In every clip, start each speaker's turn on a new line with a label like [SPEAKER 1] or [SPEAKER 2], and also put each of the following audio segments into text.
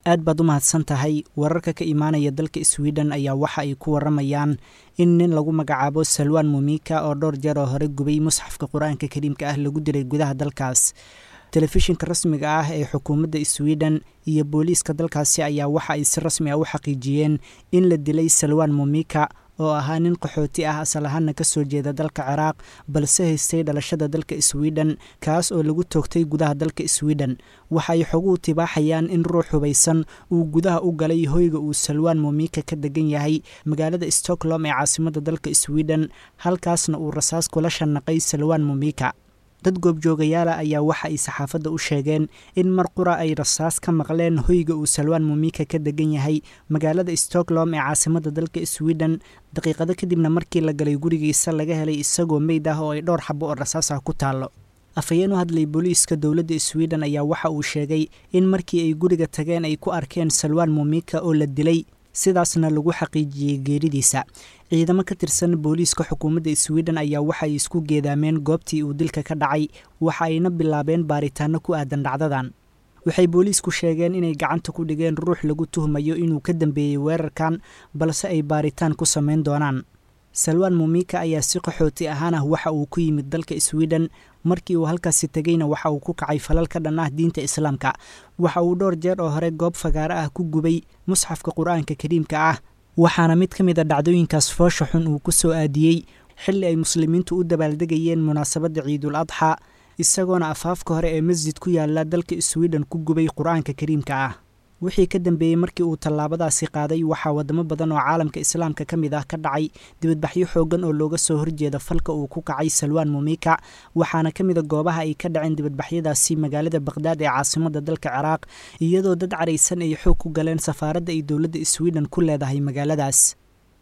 [SPEAKER 1] Aad baad u mahadsan tahay. Wararka ka imaanaya dalka Sweden ayaa waxa ay ku waramayaan in nin lagu magacaabo Salwan Mumika oo dhowr jeer oo hore gubay musxafka Qur-aanka Kariimka ah lagu dilay gudaha dalkaas. Telefishinka rasmiga ah ee xukuumadda Sweden iyo booliiska dalkaasi ayaa waxa ay si rasmi ah u xaqiijiyeen in la dilay Salwan Mumika oo ahaa nin qaxooti ah, asal ahaana kasoo jeeda dalka Ciraaq, balse haystay dhalashada dalka Sweden, kaas oo lagu toogtay gudaha dalka Sweden. Waxa ay xoguhu tibaaxayaan in ruux hubaysan uu gudaha u galay hoyga uu Salwan Mumika ka degan yahay magaalada Stockholm ee caasimadda dalka Sweden, halkaasna uu rasaas kula shanaqay Salwan Mumika. Dad goobjoogayaala ayaa waxa ay saxaafadda u sheegeen in mar qura ay rasaas ka maqleen hoyga uu Salwan Mumika ka degan yahay magaalada Stockholm ee caasimadda dalka Sweden, daqiiqado kadibna markii la galay gurigiisa laga helay isagoo meyd ah oo ay dhowr xabo oo rasaas ah ku taallo. Afhayeen u hadlay booliiska dowladda Sweden ayaa waxa uu sheegay in markii ay guriga tageen ay ku arkeen Salwan Mumika oo la dilay, sidaasna lagu xaqiijiyey geeridiisa. Ciidamo ka tirsan booliiska xukuumadda Sweden ayaa waxa ay isku geedaameen goobtii uu dilka ka dhacay, waxa ayna bilaabeen baaritaano ku aadan dhacdadan. Waxay booliisku sheegeen inay gacanta ku dhigeen ruux lagu tuhmayo inuu ka dambeeyey weerarkan, balse ay baaritaan ku samayn doonaan. Salwan Mumika ayaa si qaxooti ahaan ah waxa uu ku yimid dalka Sweden. Markii uu halkaasi tegeyna waxa uu ku kacay falal ka dhan ah diinta Islaamka. Waxa uu dhowr jeer oo hore goob fagaaro ah ku gubay musxafka Qur-aanka Kariimka ah, waxaana mid ka mid a dhacdooyinkaas foosha xun uu ku soo aadiyey xilli ay muslimiintu u dabaaldegayeen munaasabadda Ciidul Adxa, isagoona afaafka hore ee masjid ku yaala dalka Sweden ku gubay Qur-aanka Kariimka ah. Wixii ka dambeeyey markii uu tallaabadaasi qaaday, waxaa wadamo badan oo caalamka Islaamka ka mid ah ka dhacay dibadbaxyo xooggan oo looga soo horjeeda falka uu ku kacay Salwan Mumika, waxaana ka mid a goobaha ay ka dhaceen dibadbaxyadaasi magaalada Baqhdaad ee caasimadda dalka Ciraaq, iyadoo dad caraysan ay xoog ku galeen safaaradda ay dowladda Sweden ku leedahay magaaladaas.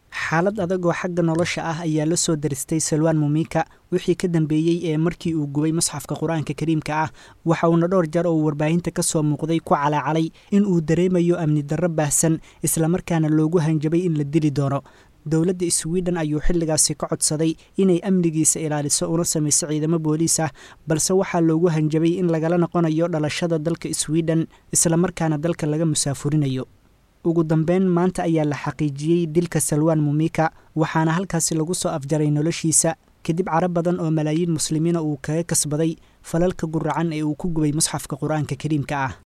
[SPEAKER 1] Xaalad adag oo xagga nolosha ah ayaa la soo daristay Salwan Mumika wixii ka dambeeyey ee markii uu gubay musxafka Qur-aanka Kariimka ah, waxa uuna dhowr jeer oo warbaahinta ka soo muuqday ku calaacalay in uu dareemayo amni darro baahsan, islamarkaana loogu hanjabay in la dili doono. Dowladda Sweden ayuu xilligaasi ka codsaday inay amnigiisa ilaaliso una samayso ciidamo booliis ah, balse waxaa loogu hanjabay in lagala noqonayo dhalashada dalka Sweden, islamarkaana dalka laga musaafurinayo. Ugu dambeyn, maanta ayaa la xaqiijiyey dilka Salwan Mumika, waxaana halkaasi lagu soo afjaray noloshiisa kadib carab badan oo malaayiin muslimiina uu kaga kasbaday falalka guracan ee uu ku gubay musxafka Qur-aanka Kariimka ah.